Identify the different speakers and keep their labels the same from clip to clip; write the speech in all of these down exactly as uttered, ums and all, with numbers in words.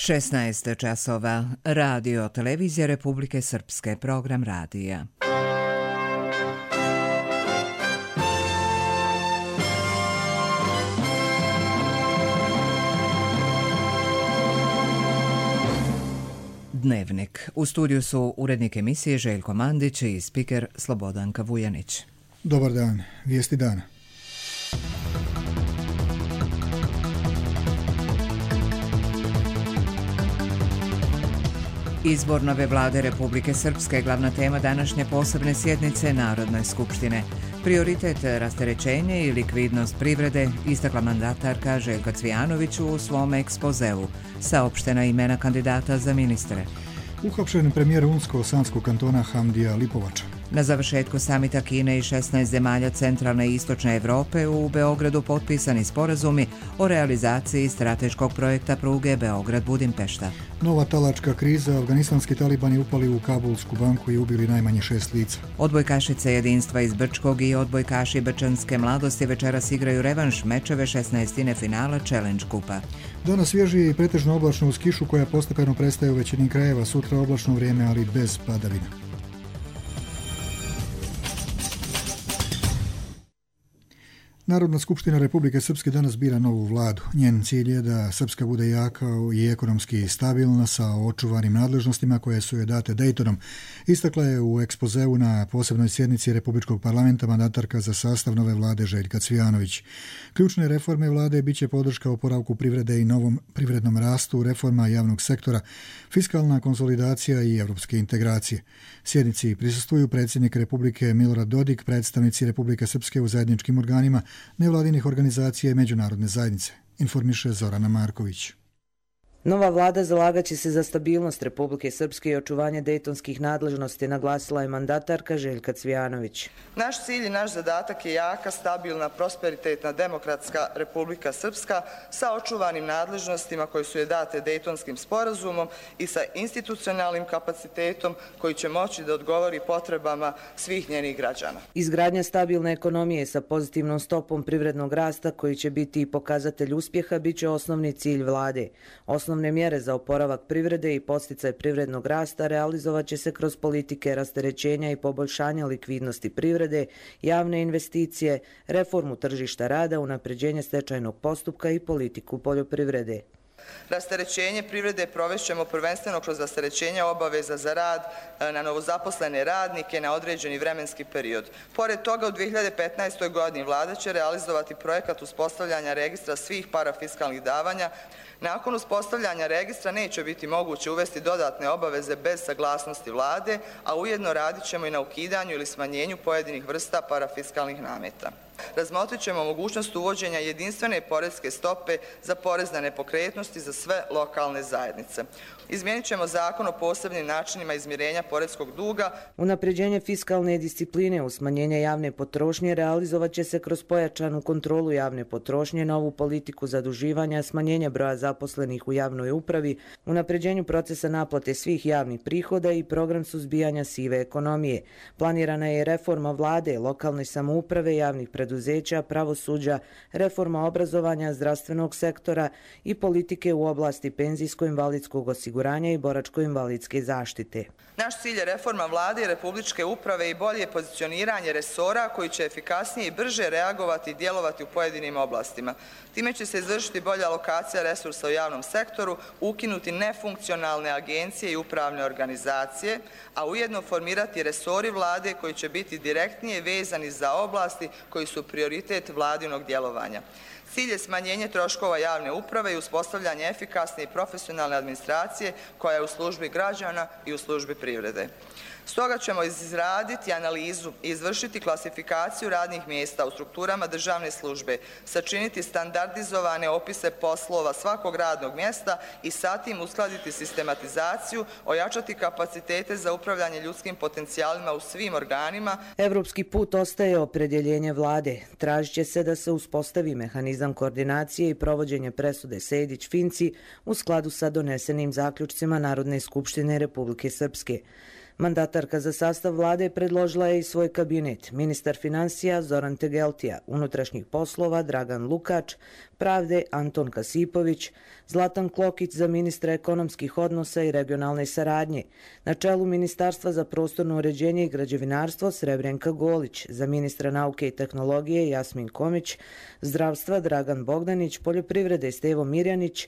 Speaker 1: šesnaest časova. Radio Televizija Republike Srpske. Program radija. Dnevnik. U studiju su urednik emisije Željko Mandić i spiker Slobodanka Vujanić.
Speaker 2: Dobar dan. Vijesti dana.
Speaker 1: Izbor nove vlade Republike Srpske je glavna tema današnje posebne sjednice Narodne skupštine. Prioritet rasterećenje i likvidnost privrede, istakla mandatarka Željka Cvijanović u svom ekspozeu. Saopštena imena kandidata za ministre.
Speaker 2: Uhapšen premijer Unsko-Sanskog kantona Hamdija Lipovača.
Speaker 1: Na završetku samita Kine i šesnaest zemalja centralne i istočne Evrope u Beogradu potpisani sporazumi o realizaciji strateškog projekta pruge Beograd-Budimpešta.
Speaker 2: Nova talačka kriza, afganistanski talibani upali u Kabulsku banku i ubili najmanje šest lica.
Speaker 1: Odbojkašice jedinstva iz Brčkog i odbojkaši Brčanske mladosti večeras igraju revanš mečeve šesnaestine finala Challenge kupa.
Speaker 2: Danas svježi i pretežno oblačno uz kišu koja postepeno prestaje u većini krajeva, sutra oblačno vrijeme, ali bez padavina. Narodna skupština Republike Srpske danas bira novu vladu. Njen cilj je da Srpska bude jaka i ekonomski stabilna sa očuvanim nadležnostima koje su joj date Dejtonom. Istakla je u ekspozeu na posebnoj sjednici Republičkog parlamenta mandatarka za sastav nove vlade Željka Cvijanović. Ključne reforme vlade biće podrška oporavku privrede i novom privrednom rastu, reforma javnog sektora, fiskalna konsolidacija i evropske integracije. Sjednici prisustvuju predsjednik Republike Milorad Dodik, predstavnici Republike Srpske u zajedničkim organima, nevladinih organizacija i međunarodne zajednice, informiše Zorana Marković.
Speaker 3: Nova vlada zalagaće se za stabilnost Republike Srpske i očuvanje dejtonskih nadležnosti, naglasila je mandatarka Željka Cvijanović.
Speaker 4: Naš cilj i naš zadatak je jaka, stabilna, prosperitetna, demokratska Republika Srpska sa očuvanim nadležnostima koji su je date Dejtonskim sporazumom i sa institucionalnim kapacitetom koji će moći da odgovori potrebama svih njenih građana.
Speaker 3: Izgradnja stabilne ekonomije sa pozitivnom stopom privrednog rasta koji će biti i pokazatelj uspjeha bit će osnovni cilj vlade. Osnovne mjere za oporavak privrede i podsticaj privrednog rasta realizovat će se kroz politike rasterećenja i poboljšanja likvidnosti privrede, javne investicije, reformu tržišta rada, unapređenje stečajnog postupka i politiku poljoprivrede.
Speaker 4: Rasterećenje privrede provešćemo prvenstveno kroz rasterećenje obaveza za rad na novozaposlene radnike na određeni vremenski period. Pored toga, u dvije hiljade petnaestoj. godini vlada će realizovati projekat uspostavljanja registra svih parafiskalnih davanja. Nakon uspostavljanja registra neće biti moguće uvesti dodatne obaveze bez saglasnosti vlade, a ujedno radit ćemo i na ukidanju ili smanjenju pojedinih vrsta parafiskalnih nameta. Razmotrit ćemo mogućnost uvođenja jedinstvene poreske stope za porez na nepokretnosti za sve lokalne zajednice. Izmijenit ćemo zakon o posebnim načinima izmirenja poreskog duga.
Speaker 3: Unapređenje fiskalne discipline uz smanjenje javne potrošnje realizovat će se kroz pojačanu kontrolu javne potrošnje, novu politiku zaduživanja, smanjenje broja zaposlenih u javnoj upravi, unapređenju procesa naplate svih javnih prihoda i program suzbijanja sive ekonomije. Planirana je reforma vlade, lokalne samouprave, javnih preduzeća, pravosuđa, reforma obrazovanja, zdravstvenog sektora i politike u oblasti penzijsko-invalidskog osiguranja i boračko-invalidske zaštite.
Speaker 4: Naš cilj je reforma vlade i republičke uprave i bolje pozicioniranje resora koji će efikasnije i brže reagovati i djelovati u pojedinim oblastima. Time će se izvršiti bolja alokacija resursa u javnom sektoru, ukinuti nefunkcionalne agencije i upravne organizacije, a ujedno formirati resori vlade koji će biti direktnije vezani za oblasti koji su prioritet vladinog djelovanja. Cilj je smanjenje troškova javne uprave i uspostavljanje efikasne i profesionalne administracije koja je u službi građana i u službi privrede. Stoga ćemo izraditi analizu i izvršiti klasifikaciju radnih mjesta u strukturama državne službe, sačiniti standardizovane opise poslova svakog radnog mjesta i sa tim uskladiti sistematizaciju, ojačati kapacitete za upravljanje ljudskim potencijalima u svim organima.
Speaker 3: Evropski put ostaje opredjeljenje vlade. Tražit će se da se uspostavi mehanizam koordinacije i provođenje presude Sejdić-Finci u skladu sa donesenim zaključcima Narodne skupštine Republike Srpske. Mandatarka za sastav vlade predložila je i svoj kabinet. Ministar financija Zoran Tegeltija, unutrašnjih poslova Dragan Lukač, pravde Anton Kasipović, Zlatan Klokić za ministra ekonomskih odnosa i regionalne saradnje, na čelu Ministarstva za prostorno uređenje i građevinarstvo Srebrenka Golić, za ministra nauke i tehnologije Jasmin Komić, zdravstva Dragan Bogdanić, poljoprivrede Stevo Mirjanić,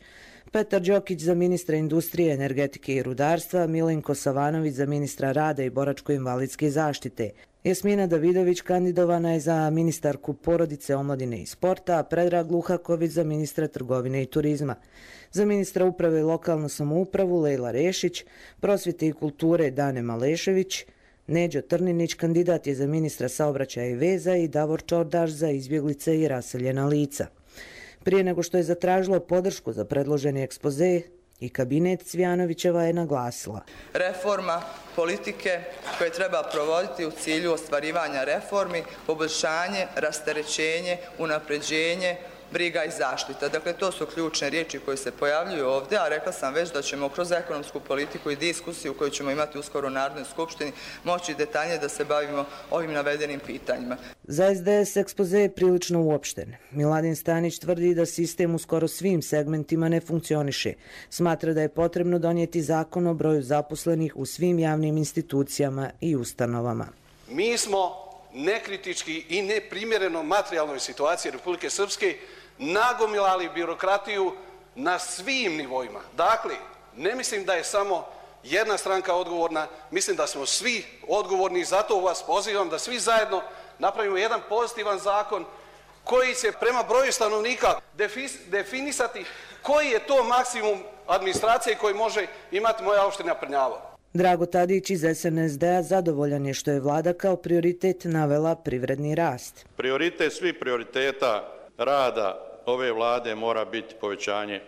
Speaker 3: Petar Đokić za ministra industrije, energetike i rudarstva, Milenko Savanović za ministra rada i boračko-invalidske zaštite. Jasmina Davidović kandidovana je za ministarku porodice, omladine i sporta, a Predrag Luhaković za ministra trgovine i turizma. Za ministra uprave i lokalnu samoupravu Lejla Rešić, prosvjete i kulture Dane Malešević, Neđo Trninić kandidat je za ministra saobraćaja i veza i Davor Čordaš za izbjeglice i raseljena lica. Prije nego što je zatražilo podršku za predloženi ekspoze, i kabinet Cvijanovićeva je naglasila:
Speaker 4: reforma politike koje treba provoditi u cilju ostvarivanja reformi, poboljšanje, rasterećenje, unapređenje, briga i zaštita. Dakle, to su ključne riječi koje se pojavljuju ovdje, a rekla sam već da ćemo kroz ekonomsku politiku i diskusiju koju ćemo imati uskoro u Narodnoj skupštini moći detaljnije da se bavimo ovim navedenim pitanjima.
Speaker 3: Za es de es ekspoze je prilično uopšten. Miladin Stanić tvrdi da sistem u skoro svim segmentima ne funkcioniše. Smatra da je potrebno donijeti zakon o broju zaposlenih u svim javnim institucijama i ustanovama.
Speaker 5: Mi smo nekritički i neprimjereno materijalnoj situaciji Republike Srpske nagomilali birokratiju na svim nivoima. Dakle, ne mislim da je samo jedna stranka odgovorna, mislim da smo svi odgovorni i zato vas pozivam da svi zajedno napravimo jedan pozitivan zakon koji će prema broju stanovnika definisati koji je to maksimum administracije koji može imati moja opština Prnjavo.
Speaker 3: Drago Tadić iz es en es de a zadovoljan je što je vlada kao prioritet navela privredni rast.
Speaker 6: Prioritet svih prioriteta rada ove vlade mora biti povećanje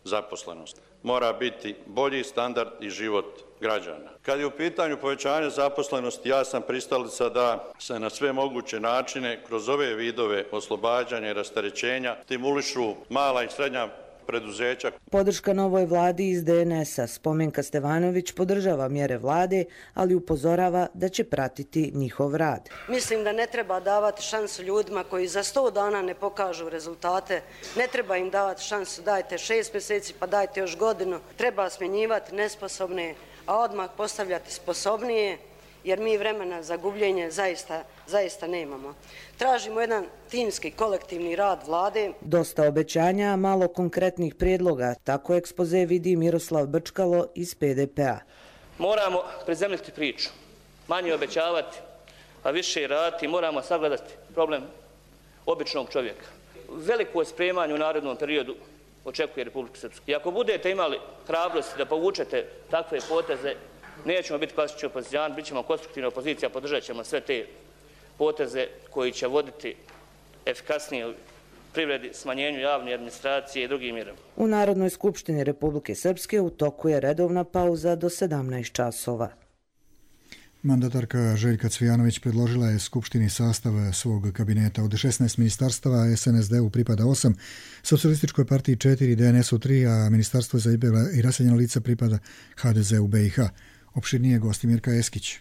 Speaker 6: zaposlenosti. Mora biti bolji standard i život građana. Kad je u pitanju povećanje zaposlenosti, ja sam pristalica da se na sve moguće načine kroz ove vidove oslobađanja i rasterećenja stimulišu mala i srednja preduzeća.
Speaker 3: Podrška novoj vladi iz de en es a Spomenka Stevanović podržava mjere vlade, ali upozorava da će pratiti njihov rad.
Speaker 7: Mislim da ne treba davati šansu ljudima koji za sto dana ne pokažu rezultate. Ne treba im davati šansu, dajte šest mjeseci pa dajte još godinu. Treba smjenjivati nesposobne, a odmah postavljati sposobnije, jer mi vremena za gubljenje zaista, zaista nemamo. Tražimo jedan timski kolektivni rad vlade.
Speaker 3: Dosta obećanja, a malo konkretnih prijedloga. Tako ekspoze vidi Miroslav Brčkalo iz pe de pe a.
Speaker 8: Moramo prezemljiti priču, manje obećavati, a više raditi. Moramo sagledati problem običnog čovjeka. Veliko spremanje u narednom periodu očekuje Republiku Srpsku. I ako budete imali hrabrosti da povučete takve poteze, nećemo biti klasični opozicijani, bit ćemo konstruktivna opozicija, podržat ćemo sve te poteze koji će voditi efikasnije privredi, smanjenju javne administracije i drugim mjerama.
Speaker 3: U Narodnoj skupštini Republike Srpske u toku je redovna pauza do sedamnaest časova.
Speaker 2: Mandatarka Željka Cvijanović predložila je Skupštini sastav svog kabineta. Od šesnaest ministarstava es en es de u pripada osam, Socijalističkoj partiji četiri, de en es u tri, a Ministarstvo za izbjegla i raseljena lica pripada ha de ze u be i ha. Opširnije Gostimirka Eskić.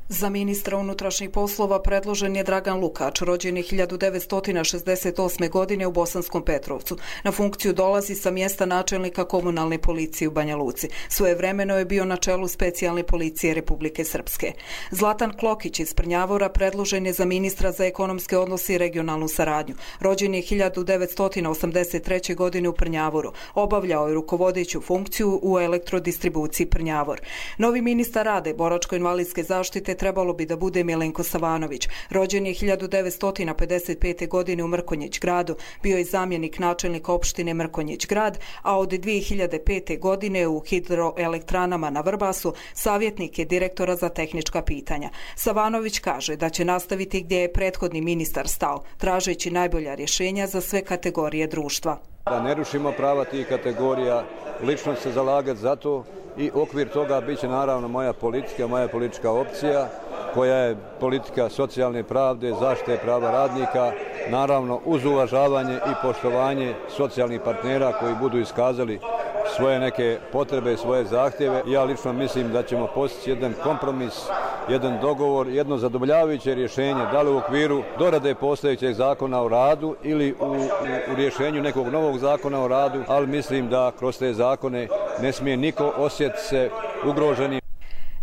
Speaker 9: Za ministra unutrašnjih poslova predložen je Dragan Lukač, rođen je hiljadu devetsto šezdeset osme. godine u Bosanskom Petrovcu. Na funkciju dolazi sa mjesta načelnika komunalne policije u Banja Luci. Svojevremeno je bio na čelu specijalne policije Republike Srpske. Zlatan Klokić iz Prnjavora predložen je za ministra za ekonomske odnose i regionalnu saradnju. Rođen je hiljadu devetsto osamdeset treće. godine u Prnjavoru. Obavljao je rukovodeću funkciju u elektrodistribuciji Prnjavor. Novi ministar rada i boračko-invalidske zaštite trebalo bi da bude Milenko Savanović. Rođen je hiljadu devetsto pedeset pete. godine u Mrkonjić gradu, bio je zamjenik načelnika opštine Mrkonjić grad, a od dvije hiljade pete. godine u hidroelektranama na Vrbasu savjetnik je direktora za tehnička pitanja. Savanović kaže da će nastaviti gdje je prethodni ministar stao, tražeći najbolja rješenja za sve kategorije društva.
Speaker 10: Da ne rušimo prava tih kategorija, lično se zalagati za to i okvir toga bit će naravno moja politika, moja politička opcija koja je politika socijalne pravde, zaštite prava radnika, naravno uz uvažavanje i poštovanje socijalnih partnera koji budu iskazali svoje neke potrebe, svoje zahtjeve. Ja lično mislim da ćemo postići jedan kompromis, jedan dogovor, jedno zadovoljavajuće rješenje, da li u okviru dorade postojećeg zakona o radu ili u, u, u rješenju nekog novog zakona o radu, ali mislim da kroz te zakone ne smije niko osjetiti se ugroženi.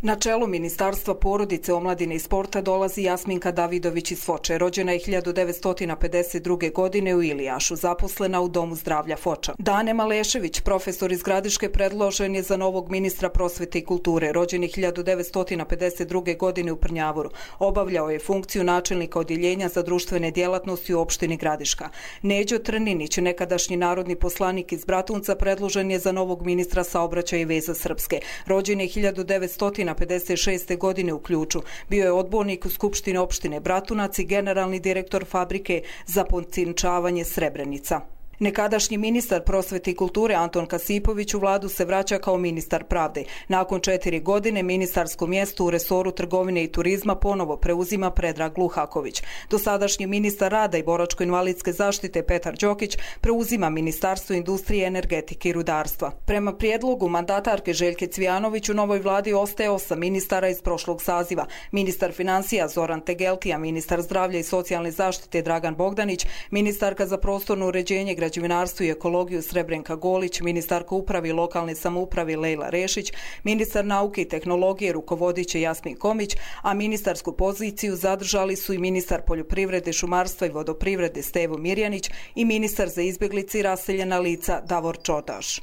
Speaker 9: Na čelu Ministarstva porodice, omladine i sporta dolazi Jasminka Davidović iz Foče. Rođena je hiljadu devetsto pedeset druge. godine u Ilijašu, zaposlena u Domu zdravlja Foča. Dane Malešević, profesor iz Gradiške, predložen je za novog ministra prosvete i kulture. Rođen je hiljadu devetsto pedeset druge. godine u Prnjavoru. Obavljao je funkciju načelnika odjeljenja za društvene djelatnosti u opštini Gradiška. Neđo Trninić, nekadašnji narodni poslanik iz Bratunca, predložen je za novog ministra saobraćaja i veza Srpske. Rođen je hiljadu devetsto pedeset šeste. godine u Ključu. Bio je odbornik u Skupštini opštine Bratunac i generalni direktor fabrike za pocinčavanje Srebrenica. Nekadašnji ministar prosvete i kulture Anton Kasipović u vladu se vraća kao ministar pravde. Nakon četiri godine ministarsko mjesto u resoru trgovine i turizma ponovo preuzima Predrag Luhaković. Dosadašnji ministar rada i boračko-invalidske zaštite Petar Đokić preuzima Ministarstvo industrije, energetike i rudarstva. Prema prijedlogu mandatarke Željke Cvijanović u novoj vladi ostaje osam ministara iz prošlog saziva. Ministar financija Zoran Tegeltija, ministar zdravlja i socijalne zaštite Dragan Bogdanić, ministarka za prostorno uređenje, građevinarstvo i ekologiju Srebrenka Golić, ministarka uprave i lokalne samouprave Lejla Rešić, ministar nauke i tehnologije rukovodit će Jasmin Komić, a ministarsku poziciju zadržali su i ministar poljoprivrede, šumarstva i vodoprivrede Stevo Mirjanić i ministar za izbjeglice i raseljena lica Davor Čodaš.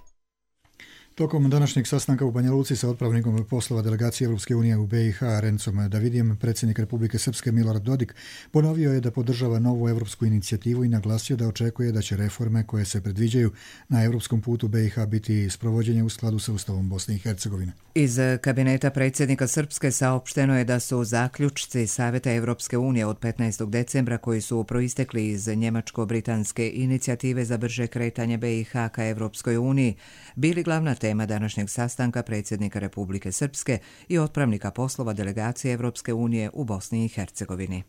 Speaker 2: Tokom današnjeg sastanka u Banja Luci sa otpravnikom poslova delegacije Europske unije u B i H Rencom Davidijem, predsjednik Republike Srpske Milorad Dodik ponovio je da podržava novu europsku inicijativu i naglasio da očekuje da će reforme koje se predviđaju na europskom putu B i H biti sprovođenje u skladu sa Ustavom Bosne i Hercegovine.
Speaker 1: Iz kabineta predsjednika Srpske saopšteno je da su zaključci Savjeta Europske unije od petnaestog decembra koji su proistekli iz njemačko-britanske inicijative za brže kretanje B i H ka Europskoj uniji bili glavna tema današnjeg sastanka predsjednika Republike Srpske i otpravnika poslova delegacije Europske unije u Bosni i Hercegovini.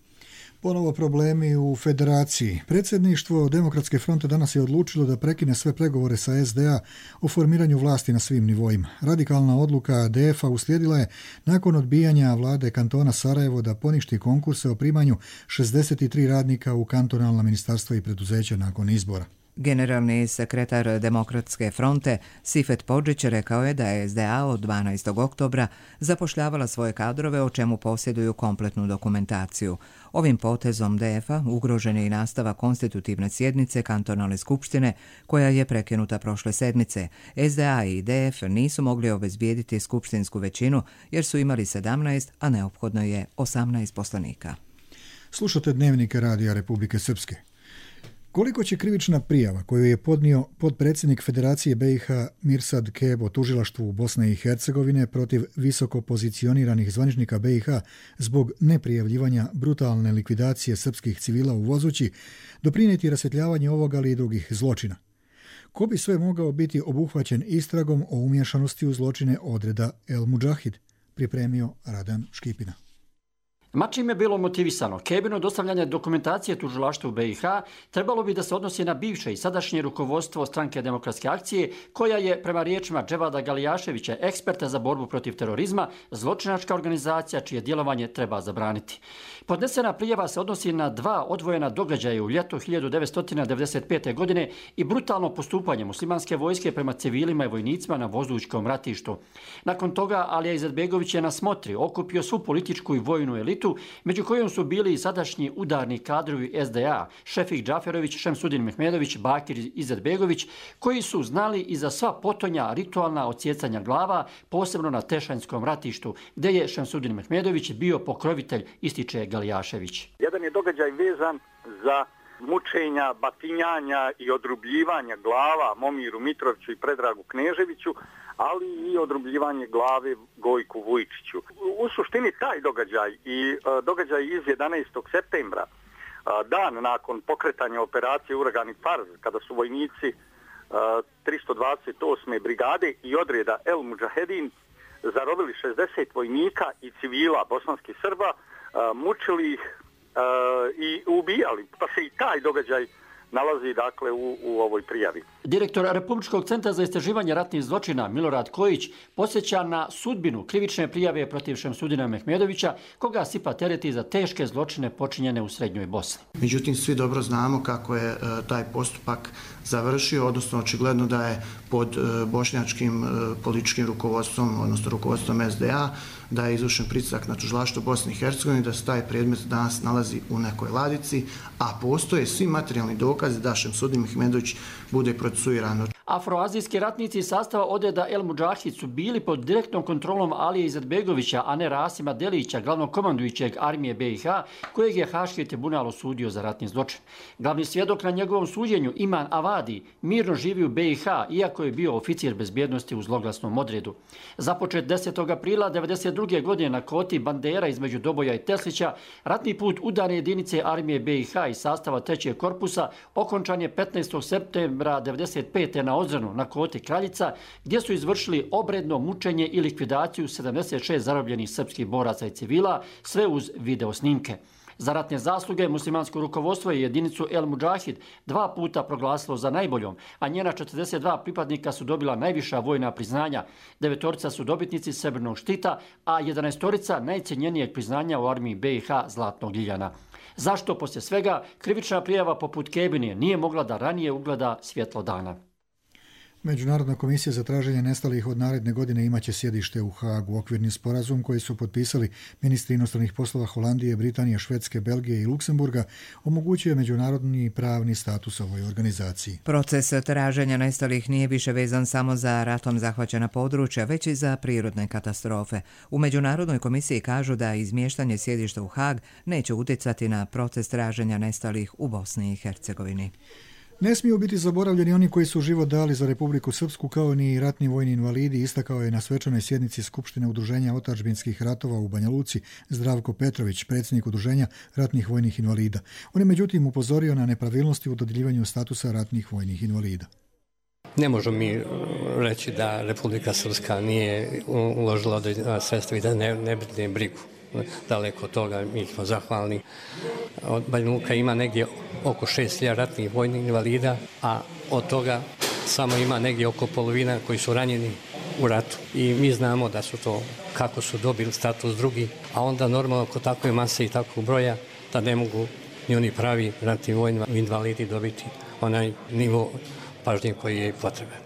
Speaker 2: Ponovo problemi u federaciji. Predsjedništvo Demokratske fronte danas je odlučilo da prekine sve pregovore sa S D A o formiranju vlasti na svim nivoima. Radikalna odluka D F-a uslijedila je nakon odbijanja vlade kantona Sarajevo da poništi konkurse o primanju šezdeset tri radnika u kantonalna ministarstva i preduzeća nakon izbora.
Speaker 1: Generalni sekretar Demokratske fronte Sifet Podžić rekao je da je S D A od dvanaestog oktobra zapošljavala svoje kadrove o čemu posjeduju kompletnu dokumentaciju. Ovim potezom D F-a ugrožen je i nastava konstitutivne sjednice kantonalne skupštine koja je prekinuta prošle sedmice. S D A i D F nisu mogli obezbijediti skupštinsku većinu jer su imali sedamnaest, a neophodno je osamnaest poslanika.
Speaker 2: Slušate Dnevnike Radija Republike Srpske. Koliko će krivična prijava koju je podnio podpredsjednik Federacije B i H Mirsad Kebo tužilaštvu Bosne i Hercegovine protiv visoko pozicioniranih zvaničnika B i H zbog neprijavljivanja brutalne likvidacije srpskih civila u Vozući doprinijeti rasvjetljavanje ovog, ali i drugih zločina? Ko bi sve mogao biti obuhvaćen istragom o umješanosti u zločine odreda El Mudžahid, pripremio Radan Škipina.
Speaker 11: Ma čim je bilo motivisano, Kebino dostavljanje dokumentacije tužilaštvu B i H trebalo bi da se odnosi na bivše i sadašnje rukovodstvo Stranke demokratske akcije, koja je, prema riječima Dževada Galijaševića, eksperta za borbu protiv terorizma, zločinačka organizacija čije djelovanje treba zabraniti. Podnesena prijava se odnosi na dva odvojena događaja u ljetu hiljadu devetsto devedeset pete. godine i brutalno postupanje muslimanske vojske prema civilima i vojnicima na Vozućkom ratištu. Nakon toga Alija Izetbegović je na smotri okupio svu političku i vojnu elitu, među kojom su bili i sadašnji udarni kadrovi S D A, Šefik Džaferović, Šemsudin Mehmedović, Bakir Izetbegović, koji su znali i za sva potonja ritualna odsjecanja glava, posebno na Tešanjskom ratištu, gdje je Šemsudin Mehmedović bio pokrovitelj, ističe Galijašević.
Speaker 12: Jedan je događaj vezan za mučenja, batinjanja i odrubljivanja glava Momiru Mitroviću i Predragu Kneževiću, ali i odrubljivanje glave Gojku Vujčiću. U suštini taj događaj i uh, događaj iz jedanaestog septembra, uh, dan nakon pokretanja operacije Uragani Fars, kada su vojnici uh, tristo dvadeset osme brigade i odreda El Mudžahedin zarobili šezdeset vojnika i civila bosanskih Srba, uh, mučili ih uh, i ubijali. Pa se i taj događaj nalazi dakle u, u ovoj prijavi.
Speaker 11: Direktor Republičkog centra za istraživanje ratnih zločina Milorad Kojić posjeća na sudbinu krivične prijave protiv Šemsudina Mehmedovića, koga SIPA tereti za teške zločine počinjene u Srednjoj Bosni.
Speaker 13: Međutim, svi dobro znamo kako je taj postupak završio, odnosno očigledno da je pod bošnjačkim političkim rukovodstvom, odnosno rukovodstvom S D A, da je izvršen pritisak na tužilaštvo Bosne i Hercegovine, da se taj predmet danas nalazi u nekoj ladici, a postoje svi materijalni dokazi da Šemsudin Mehmedović bude procesuiran.
Speaker 11: Afroazijski ratnici iz sastava odreda El Mudžahid su bili pod direktnom kontrolom Alije Izetbegovića, a ne Rasima Delića, glavnog komandujućeg armije B i H, kojeg je Haški tribunal osudio za ratni zločin. Glavni svjedok na njegovom suđenju, Iman Avadi, mirno živi u B i H, iako je bio oficir bezbjednosti u zloglasnom odredu. Započet desetog aprila devedeset druge godine na koti Bandera između Doboja i Teslića, ratni put udarne jedinice armije B i H iz sastava trećeg korpusa okončan je petnaestog septembra devedeset pete na Ozranu na koti Kraljica, gdje su izvršili obredno mučenje i likvidaciju sedamdeset šest zarobljenih srpskih boraca i civila, sve uz video snimke. Za ratne zasluge muslimansko rukovodstvo je jedinicu El Mudžahid dva puta proglasilo za najboljom, a njena četrdeset dva pripadnika su dobila najviša vojna priznanja. Devetorica su dobitnici srebrnog štita, a jedanaestorica najcijenjenijeg priznanja u armiji B i H Zlatnog ljiljana. Zašto poslije svega krivična prijava poput Kebinije nije mogla da ranije ugleda svjetlo dana?
Speaker 2: Međunarodna komisija za traženje nestalih od naredne godine imaće sjedište u Hagu. Okvirni sporazum koji su potpisali ministri inostranih poslova Holandije, Britanije, Švedske, Belgije i Luksemburga omogućuje međunarodni pravni status ovoj organizaciji.
Speaker 1: Proces traženja nestalih nije više vezan samo za ratom zahvaćena područja, već i za prirodne katastrofe. U Međunarodnoj komisiji kažu da izmještanje sjedišta u Hag neće utjecati na proces traženja nestalih u Bosni i Hercegovini.
Speaker 2: Ne smiju biti zaboravljeni oni koji su život dali za Republiku Srpsku, kao ni ratni vojni invalidi, istakao je na svečanoj sjednici Skupštine Udruženja otadžbinskih ratova u Banja Luci Zdravko Petrović, predsjednik Udruženja ratnih vojnih invalida. On je međutim upozorio na nepravilnosti u dodjeljivanju statusa ratnih vojnih invalida.
Speaker 14: Ne možemo mi reći da Republika Srpska nije uložila određena sredstva i da ne, ne brine brigu. Daleko od toga, mi smo zahvalni. Banja Luka ima negdje oko šest hiljada ratnih vojnih invalida, a od toga samo ima negdje oko polovina koji su ranjeni u ratu. I mi znamo da su to, kako su dobili status drugi, a onda normalno kod takve mase i takvog broja da ne mogu ni oni pravi ratni vojni invalidi dobiti onaj nivo pažnje koji je potreban.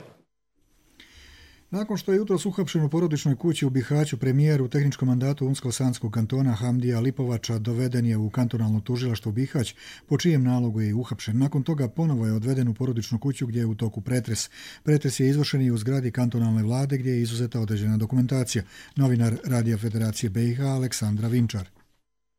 Speaker 2: Nakon što je jutros uhapšen u porodičnoj kući u Bihaću, premijer u tehničkom mandatu Unsko-Sanskog kantona Hamdija Lipovača doveden je u kantonalno tužilaštvo Bihać, po čijem nalogu je uhapšen. Nakon toga ponovo je odveden u porodičnu kuću gdje je u toku pretres. Pretres je izvršen i u zgradi kantonalne vlade gdje je izuzeta određena dokumentacija. Novinar Radija Federacije B i H Aleksandra Vinčar.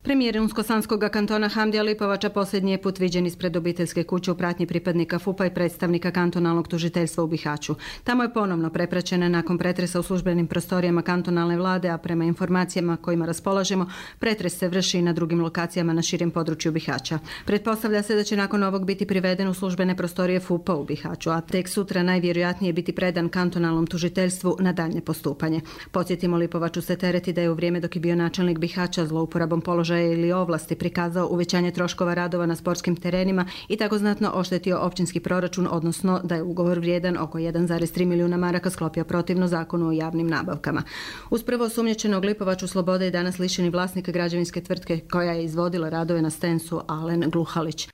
Speaker 15: Premijer Unsko-Sanskog kantona Hamdija Lipovača posljednji je put viđen ispred obiteljske kuće u pratnji pripadnika F U P-a i predstavnika kantonalnog tužiteljstva u Bihaću. Tamo je ponovno prepraćena nakon pretresa u službenim prostorijama kantonalne vlade, a prema informacijama kojima raspolažemo, pretres se vrši i na drugim lokacijama na širem području Bihaća. Pretpostavlja se da će nakon ovog biti priveden u službene prostorije F U P-a u Bihaću, a tek sutra najvjerojatnije biti predan kantonalnom tužiteljstvu na daljnje postupanje. Podsjetimo, Lipovaču se tereti da je u vrijeme dok je bio načelnik Bihaća zlouporabom položaja ili ovlasti prikazao uvećanje troškova radova na sportskim terenima i tako znatno oštetio općinski proračun, odnosno da je ugovor vrijedan oko jedan zarez tri milijuna maraka sklopio protivno zakonu o javnim nabavkama. Uz prvo osumnjičenog Lipovaču slobode je danas lišeni vlasnik građevinske tvrtke koja je izvodila radove na stensu Alen Gluhalić.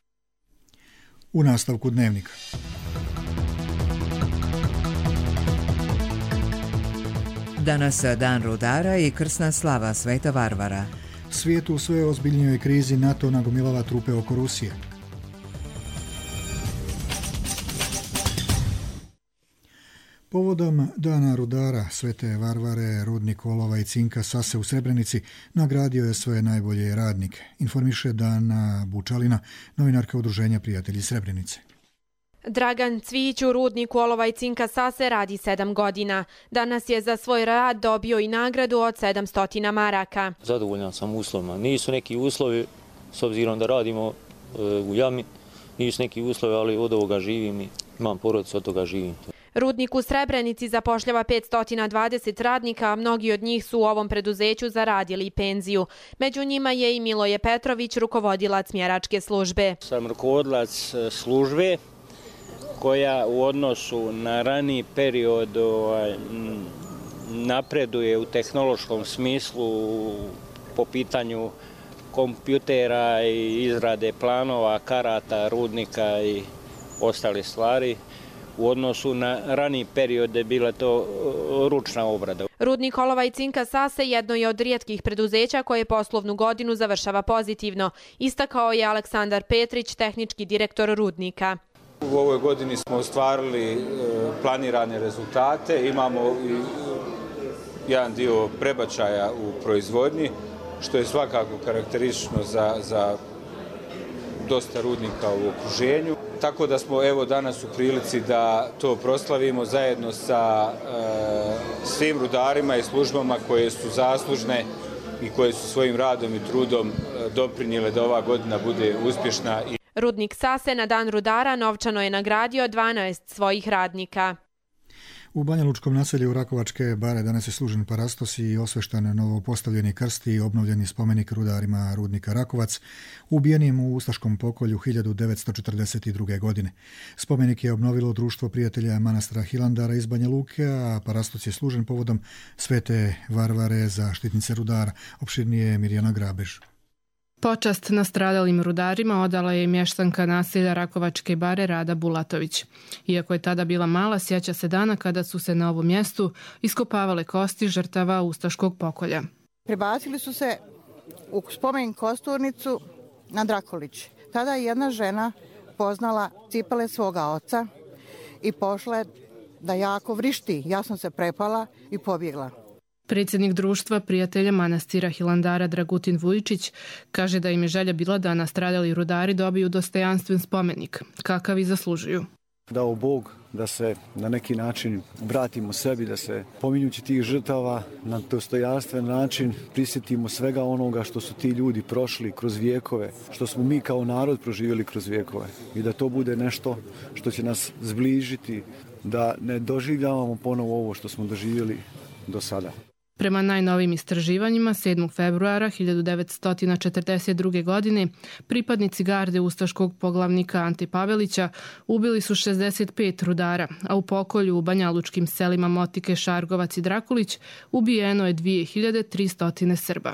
Speaker 2: U nastavku dnevnika.
Speaker 1: Danas dan rudara i krsna slava Sveta Varvara.
Speaker 2: Svijetu u sve ozbiljnijoj krizi NATO nagomilava trupe oko Rusije. Povodom dana rudara Svete Varvare, rudnik olova i cinka Sase u Srebrenici nagradio je svoje najbolje radnike. Informiše Dana Bučalina, novinarka Udruženja Prijatelji Srebrenice.
Speaker 16: Dragan Cvijić u rudniku olova i cinka Sase radi sedam godina. Danas je za svoj rad dobio i nagradu od sedamsto maraka.
Speaker 17: Zadovoljan sam uslovima. Nisu neki uslovi, s obzirom da radimo e, u jami, nisu neki uslovi, ali od ovoga živim i imam porodicu, od toga živim.
Speaker 16: Rudnik u Srebrenici zapošljava petsto dvadeset radnika, a mnogi od njih su u ovom preduzeću zaradili penziju. Među njima je i Miloje Petrović, rukovodilac mjeračke službe.
Speaker 18: Sam rukovodilac službe koja u odnosu na raniji period napreduje u tehnološkom smislu po pitanju kompjutera i izrade planova, karata, rudnika i ostale stvari. U odnosu na raniji period je bila to ručna obrada.
Speaker 16: Rudnik olova i cinka Sase jedno je od rijetkih preduzeća koje poslovnu godinu završava pozitivno. Istakao je Aleksandar Petrić, tehnički direktor rudnika.
Speaker 19: U ovoj godini smo ostvarili planirane rezultate, imamo i jedan dio prebačaja u proizvodnji, što je svakako karakteristično za, za dosta rudnika u okruženju. Tako da smo evo danas u prilici da to proslavimo zajedno sa e, svim rudarima i službama koje su zaslužne i koje su svojim radom i trudom doprinijele da ova godina bude uspješna.
Speaker 16: Rudnik Sase na dan rudara novčano je nagradio dvanaest svojih radnika.
Speaker 2: U Banjalučkom naselju Rakovačke bare danas je služen parastos i osveštan novo postavljeni krst i obnovljeni spomenik rudarima rudnika Rakovac, ubijenim u ustaškom pokolju hiljadu devetsto četrdeset druge. godine. Spomenik je obnovilo Društvo prijatelja manastira Hilandara iz Banja Luke, a parastos je služen povodom Svete Varvare zaštitnice rudara. Opširnije Mirjana Grabež.
Speaker 20: Počast nastradalim rudarima odala je i mještanka naselja Rakovačke bare Rada Bulatović. Iako je tada bila mala, sjeća se dana kada su se na ovom mjestu iskopavale kosti žrtava ustaškog pokolja.
Speaker 21: Prebacili su se u spomen kosturnicu na Drakolić. Tada je jedna žena poznala cipele svoga oca i pošla je da jako vrišti. Ja sam se prepala i pobjegla.
Speaker 20: Predsjednik Društva prijatelja manastira Hilandara Dragutin Vujičić kaže da im je želja bila da nastradali rudari dobiju dostojanstven spomenik, kakav i zaslužuju.
Speaker 22: Dao Bog da se na neki način vratimo sebi, da se pominjući tih žrtava na dostojanstven način prisjetimo svega onoga što su ti ljudi prošli kroz vijekove, što smo mi kao narod proživjeli kroz vijekove i da to bude nešto što će nas zbližiti, da ne doživljavamo ponovo ovo što smo doživjeli do sada.
Speaker 20: Prema najnovim istraživanjima, sedmog februara hiljadu devetsto četrdeset druge. godine pripadnici garde ustaškog poglavnika Ante Pavelića ubili su šezdeset pet rudara, a u pokolju u banjalučkim selima Motike, Šargovac i Drakulić ubijeno je dvije hiljade tristo Srba.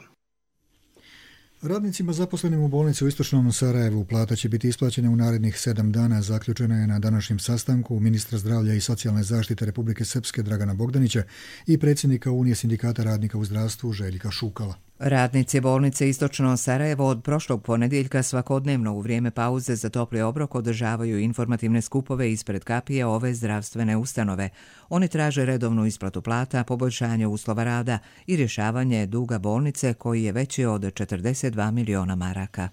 Speaker 2: Radnicima zaposlenim u bolnici u istočnom Sarajevu plata će biti isplaćena u narednih sedam dana, zaključena je na današnjem sastanku ministra zdravlja i socijalne zaštite Republike Srpske Dragana Bogdanića i predsjednika Unije sindikata radnika u zdravstvu Željka Šukala.
Speaker 1: Radnici bolnice Istočno Sarajevo od prošlog ponedjeljka svakodnevno u vrijeme pauze za topli obrok održavaju informativne skupove ispred kapije ove zdravstvene ustanove. Oni traže redovnu isplatu plata, poboljšanje uslova rada i rješavanje duga bolnice koji je veći od četrdeset dva miliona maraka.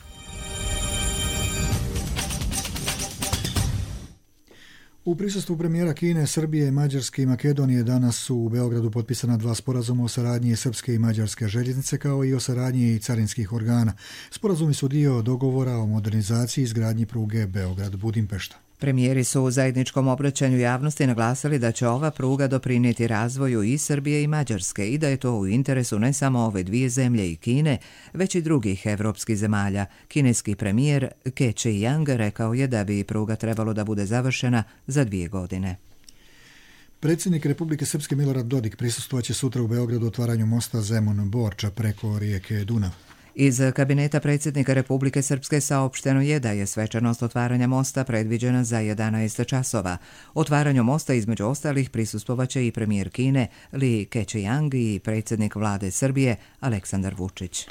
Speaker 2: U prisustvu premijera Kine, Srbije, Mađarske i Makedonije danas su u Beogradu potpisana dva sporazuma o saradnji srpske i mađarske željeznice kao i o saradnji carinskih organa. Sporazumi su dio dogovora o modernizaciji i izgradnji pruge Beograd-Budimpešta.
Speaker 1: Premijeri su u zajedničkom obraćanju javnosti naglasili da će ova pruga doprinijeti razvoju i Srbije i Mađarske i da je to u interesu ne samo ove dvije zemlje i Kine, već i drugih evropskih zemalja. Kineski premijer Ke Chi-yang rekao je da bi pruga trebalo da bude završena za dvije godine.
Speaker 2: Predsjednik Republike Srpske Milorad Dodik prisustvovaće sutra u Beogradu otvaranju mosta Zemun-Borča preko rijeke Dunav.
Speaker 1: Iz kabineta predsjednika Republike Srpske saopšteno je da je svečanost otvaranja mosta predviđena za jedanaest časova. Otvaranju mosta između ostalih prisustvovaće i premijer Kine Li Keqiang i predsjednik vlade Srbije Aleksandar Vučić.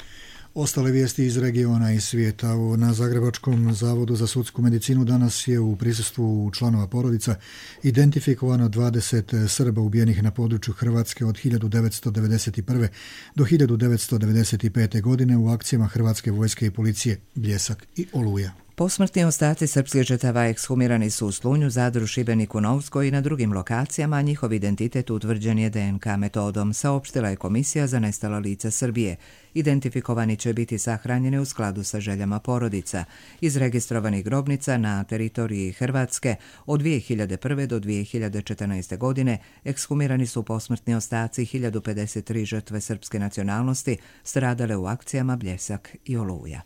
Speaker 2: Ostale vijesti iz regiona i svijeta. Na Zagrebačkom zavodu za sudsku medicinu danas je u prisustvu članova porodica identifikovano dvadeset Srba ubijenih na području Hrvatske od hiljadu devetsto devedeset prve. do hiljadu devetsto devedeset pete. godine u akcijama Hrvatske vojske i policije Bljesak i Oluja.
Speaker 1: Posmrtni ostaci srpskih žrtava ekshumirani su u Slunju, Zadru, Šibeniku, Novskoj i na drugim lokacijama, a njihov identitet utvrđen je D N K metodom, saopštila je Komisija za nestala lica Srbije. Identifikovani će biti sahranjeni u skladu sa željama porodica. Iz registrovanih grobnica na teritoriji Hrvatske od dvije hiljade prve do dvije hiljade četrnaeste. godine ekshumirani su posmrtni ostaci hiljadu pedeset tri žrtve srpske nacionalnosti stradale u akcijama Bljesak i Oluja.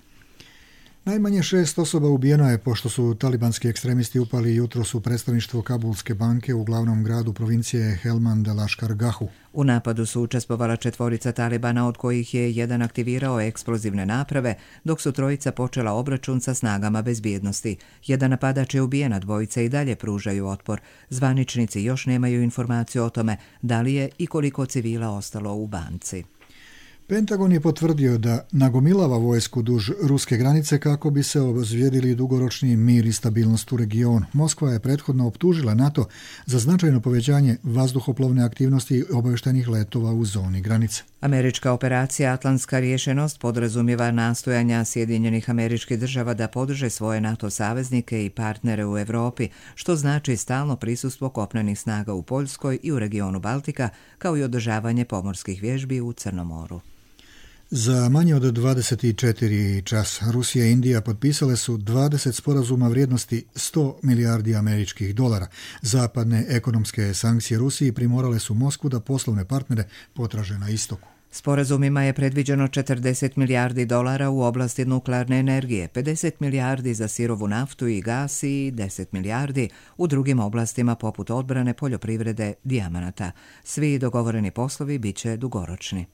Speaker 2: Najmanje šest osoba ubijeno je pošto su talibanski ekstremisti upali jutros u predstavništvo Kabulske banke u glavnom gradu provincije Helmand Laškar Gahu.
Speaker 1: U napadu su učestvovala četvorica Talibana, od kojih je jedan aktivirao eksplozivne naprave, dok su trojica počela obračun sa snagama bezbjednosti. Jedan napadač je ubijen, a dvojica i dalje pružaju otpor. Zvaničnici još nemaju informaciju o tome da li je i koliko civila ostalo u banci.
Speaker 2: Pentagon je potvrdio da nagomilava vojsku duž ruske granice kako bi se obezvrijedili dugoročni mir i stabilnost u regionu. Moskva je prethodno optužila NATO za značajno povećanje vazduhoplovne aktivnosti i obavještajnih letova u zoni granice.
Speaker 1: Američka operacija Atlantska rješenost podrazumijeva nastojanja Sjedinjenih Američkih Država da podrže svoje NATO saveznike i partnere u Europi, što znači stalno prisustvo kopnenih snaga u Poljskoj i u regionu Baltika, kao i održavanje pomorskih vježbi u Crnom moru.
Speaker 2: Za manje od dvadeset četiri časa Rusija i Indija potpisale su dvadeset sporazuma vrijednosti sto milijardi američkih dolara. Zapadne ekonomske sankcije Rusiji primorale su Moskvu da poslovne partnere potraže na istoku.
Speaker 1: Sporazumima je predviđeno četrdeset milijardi dolara u oblasti nuklearne energije, pedeset milijardi za sirovu naftu i gas i deset milijardi u drugim oblastima poput odbrane, poljoprivrede, dijamanata. Svi dogovoreni poslovi bit će dugoročni.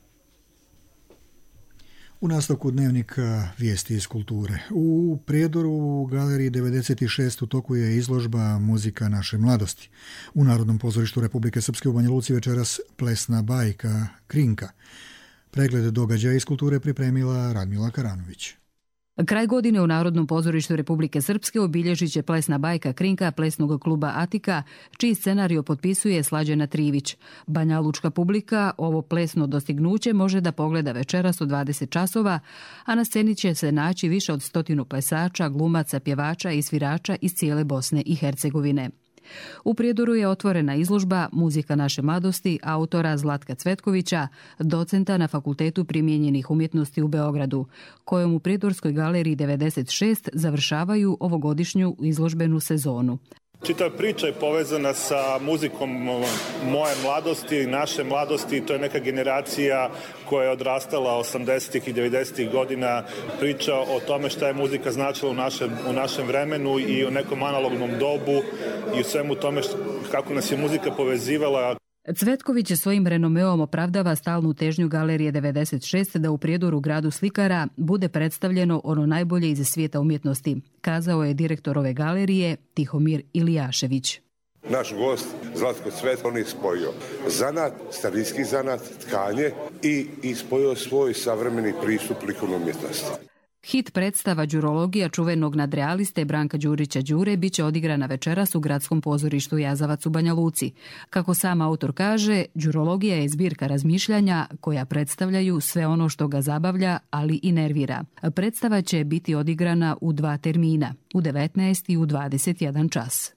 Speaker 2: U nastavku dnevnika vijesti iz kulture. U Prijedoru u galeriji devedeset šest u toku je izložba Muzika naše mladosti. U Narodnom pozorištu Republike Srpske u Banja Luci večeras plesna bajka Krinka. Pregled događaja iz kulture pripremila Radmila Karanović.
Speaker 4: Kraj godine u Narodnom pozorištu Republike Srpske obilježit će plesna bajka Krinka plesnog kluba Atika, čiji scenario potpisuje Slađana Trivić. Banja Lučka publika ovo plesno dostignuće može da pogleda večeras u dvadeset časova, a na sceni će se naći više od stotinu plesača, glumaca, pjevača i svirača iz cijele Bosne i Hercegovine. U Prijedoru je otvorena izložba Muzika naše mladosti autora Zlatka Cvetkovića, docenta na Fakultetu primijenjenih umjetnosti u Beogradu, kojom u Prijedorskoj galeriji devedeset šest završavaju ovogodišnju izložbenu sezonu.
Speaker 5: Čitava priča je povezana sa muzikom moje mladosti, naše mladosti. To je neka generacija koja je odrastala osamdesetih i devedesetih godina. Priča o tome šta je muzika značila u našem, u našem vremenu i o nekom analognom dobu i u svemu tome što, kako nas je muzika povezivala.
Speaker 4: Cvetković svojim renomeom opravdava stalnu težnju galerije devedeset šest da u Prijedoru, gradu slikara, bude predstavljeno ono najbolje iz svijeta umjetnosti, kazao je direktor ove galerije Tihomir Ilijašević.
Speaker 23: Naš gost Zlatko Cvet, on je spojio zanat, starinski zanat, tkanje i ispojio svoj savremeni pristup likovnoj umjetnosti.
Speaker 4: Hit predstava Đurologija čuvenog nadrealiste Branka Đurića Đure biće odigrana večeras u Gradskom pozorištu Jazavac u Banja Luci. Kako sam autor kaže, Đurologija je zbirka razmišljanja koja predstavljaju sve ono što ga zabavlja, ali i nervira. Predstava će biti odigrana u dva termina, u devetnaest i u dvadeset jedan čas.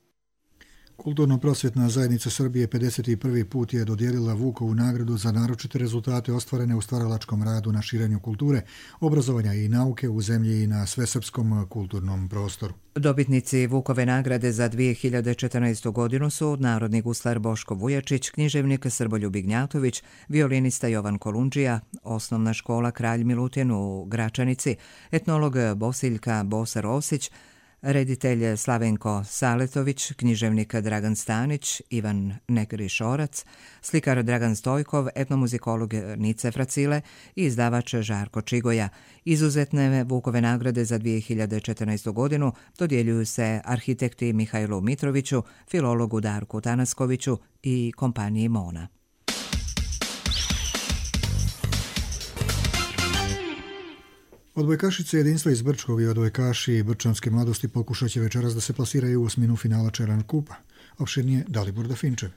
Speaker 2: Kulturno-prosvjetna zajednica Srbije pedeset prvi put je dodijelila Vukovu nagradu za naročite rezultate ostvarene u stvaralačkom radu na širenju kulture, obrazovanja i nauke u zemlji i na svesrpskom kulturnom prostoru.
Speaker 1: Dobitnici Vukove nagrade za dvije hiljade četrnaestu. godinu su narodni guslar Boško Vujačić, književnik Srboljub Ignjatović, violinista Jovan Kolundžija, osnovna škola Kralj Milutin u Gračanici, etnolog Bosiljka Bosar Osić, reditelj Slavenko Saletović, književnik Dragan Stanić, Ivan Negrišorac, slikar Dragan Stojkov, etnomuzikolog Nice Fracile i izdavač Žarko Čigoja. Izuzetne Vukove nagrade za dvije hiljade četrnaestu. godinu dodjeljuju se arhitekti Mihajlu Mitroviću, filologu Darku Tanaskoviću i kompaniji Mona.
Speaker 2: Odbojkašice jedinstva iz Brčkog i odbojkaši Brčanske mladosti pokušat će večeras da se plasiraju u osminu finala Čeran kupa. Opširnije Dalibor Dafinčev.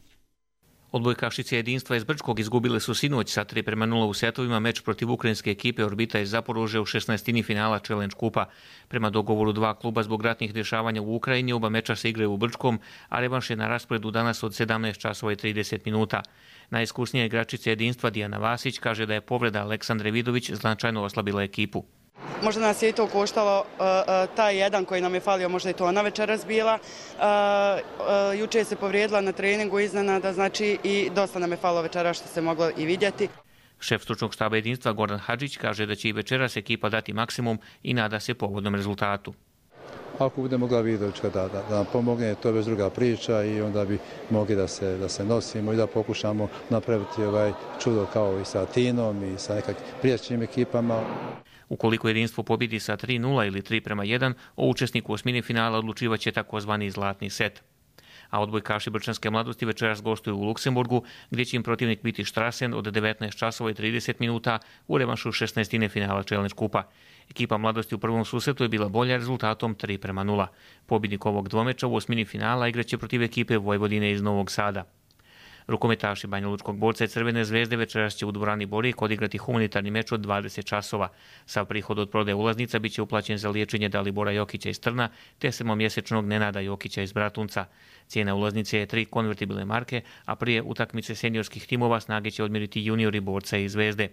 Speaker 6: Odbojkašice Jedinstva iz Brčkog izgubile su sinoć sa tri prema nula u setovima meč protiv ukrajinske ekipe Orbita iz Zaporožja u šesnaestini finala Challenge kupa. Prema dogovoru dva kluba zbog ratnih dešavanja u Ukrajini, oba meča se igraju u Brčkom, a revanš je na rasporedu danas od sedamnaest časova i trideset minuta. Najiskusnija igračica Jedinstva Dijana Vasić kaže da je povreda Aleksandre Vidović značajno oslabila ekipu.
Speaker 7: Možda nas je i to koštalo, uh, uh, taj jedan koji nam je falio, možda i to ona večeras bila. Uh, uh, juče se povrijedila na treningu iznenada, znači i dosta nam je falilo večeras što se moglo i vidjeti.
Speaker 6: Šef stručnog štaba Jedinstva Goran Hadžić kaže da će i večeras ekipa dati maksimum i nada se povodnom rezultatu.
Speaker 8: Ako bude mogla Vidovićka da, da, da nam pomogne, to je već druga priča i onda bi mogli da se, da se nosimo i da pokušamo napraviti ovaj čudo kao i sa Tinom i sa nekakvim prijašnjim ekipama.
Speaker 6: Ukoliko Jedinstvo pobjedi sa tri nula ili tri prema jedan, o učesniku osmine finala odlučivaće takozvani zlatni set. A odbojkaši Brčanske mladosti večeras gostuju u Luksemburgu, gdje će im protivnik biti Strassen od devetnaest časova i trideset minuta u revanšu šesnaestine finala Challenge kupa. Ekipa mladosti u prvom susretu je bila bolja rezultatom tri prema nula. Pobjednik ovog dvomeča u osmini finala igraće protiv ekipe Vojvodine iz Novog Sada. Rukometaši Banjalučkog borca i Crvene zvezde večeras će u dvorani Borijek odigrati humanitarni meč od dvadeset časova. Sav prihod od prodaje ulaznica biće uplaćen za liječenje Dalibora Jokića iz Trna te sedmomjesečnog Nenada Jokića iz Bratunca. Cijena ulaznice je tri konvertibilne marke, a prije utakmice seniorskih timova snage će odmjeriti juniori borca i Zvezde.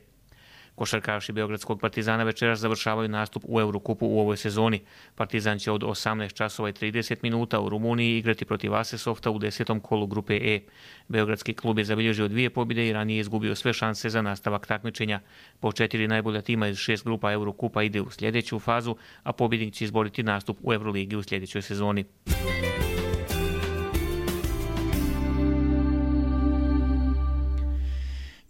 Speaker 6: Košarkaši Beogradskog Partizana večeras završavaju nastup u Eurokupu u ovoj sezoni. Partizan će od osamnaest časova i trideset minuta u Rumuniji igrati protiv Asesofta u desetom kolu grupe E. Beogradski klub je zabilježio dvije pobjede i ranije izgubio sve šanse za nastavak takmičenja. Po četiri najbolja tima iz šest grupa Eurokupa ide u sljedeću fazu, a pobjednik će izboriti nastup u Euroligi u sljedećoj sezoni.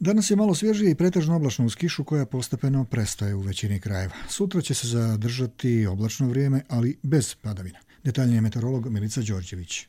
Speaker 2: Danas je malo svježije i pretežno oblačno uz kišu koja postepeno prestaje u većini krajeva. Sutra će se zadržati oblačno vrijeme, ali bez padavina. Detaljnije meteorolog Milica Đorđević.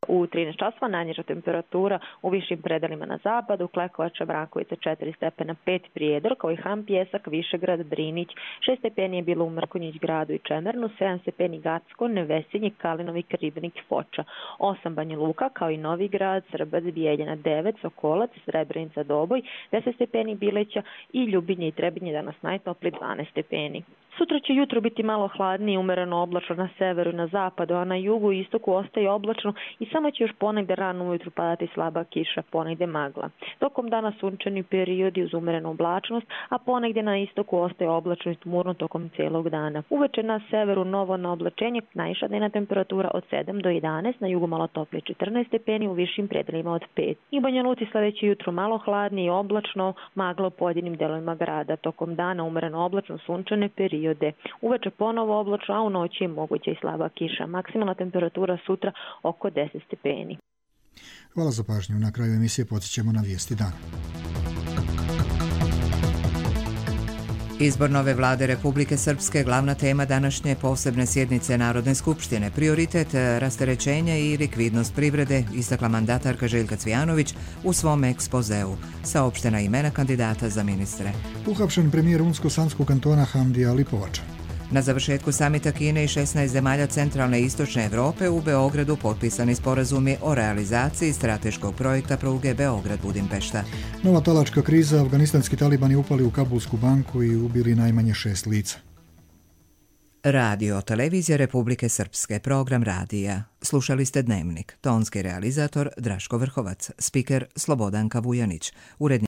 Speaker 24: U trinaest časova najniža temperatura u višim predelima na zapadu, Klekovača, Mrakovica četiri stepena, pet Prijedor, kao i Ham, Pjesak, Višegrad, Drinić, šest stepeni je bilo u Mrkonjić gradu i Čemernu, sedam stepeni Gacko, Nevesinje, Kalinovi, Ribnik, Foča, osam Banja Luka, kao i Novi Grad, Srbac, Bijeljina, devet, Sokolac, Srebrenica, Doboj, deset stepeni Bileća i Ljubinje i Trebinje danas najtopli dvanaest stepeni. Sutra će jutro biti malo hladnije, umereno oblačno na severu i na zapadu, a na jugu i istoku ostaje oblačno i samo će još ponegde rano ujutru padati slaba kiša, ponegde magla. Tokom dana sunčani periodi uz umerenu oblačnost, a ponegde na istoku ostaje oblačno i tmurno tokom cijelog dana. Uveče na severu novo na oblačenje, najviša dnevna temperatura od sedam do jedanaest, na jugu malo toplije četrnaest stepeni, u višim predelima od pet. I Banja Luci sledeće jutro malo hladnije i oblačno, magla u pojedinim delovima grada. Tokom dana umereno oblačno sunčane periode. Uveče ponovo oblačno, a u noći je moguća i slaba kiša. Maksimalna temperatura sutra oko deset stepeni.
Speaker 2: Hvala za pažnju. Na kraju emisije podsjećamo na vijesti dana.
Speaker 1: Izbor nove vlade Republike Srpske glavna tema današnje posebne sjednice Narodne skupštine. Prioritet rasterećenja i likvidnost privrede, istakla mandatarka Željka Cvijanović u svom ekspozeu. Saopštena imena kandidata za ministre.
Speaker 2: Uhapšen premijer Unsko-Sanskog kantona Hamdija Lipovača.
Speaker 1: Na završetku samita Kine i šesnaest zemalja centralne i istočne Evrope u Beogradu potpisani sporazumi o realizaciji strateškog projekta pruge Beograd-Budimpešta.
Speaker 2: Nova talačka kriza, afganistanski talibani upali u Kabulsku banku i ubili najmanje šest lica.
Speaker 1: Radio Televizija Republike Srpske, program radija. Slušali ste Dnevnik. Tonski realizator Draško Vrhovac, spiker Slobodanka Vujanić, urednik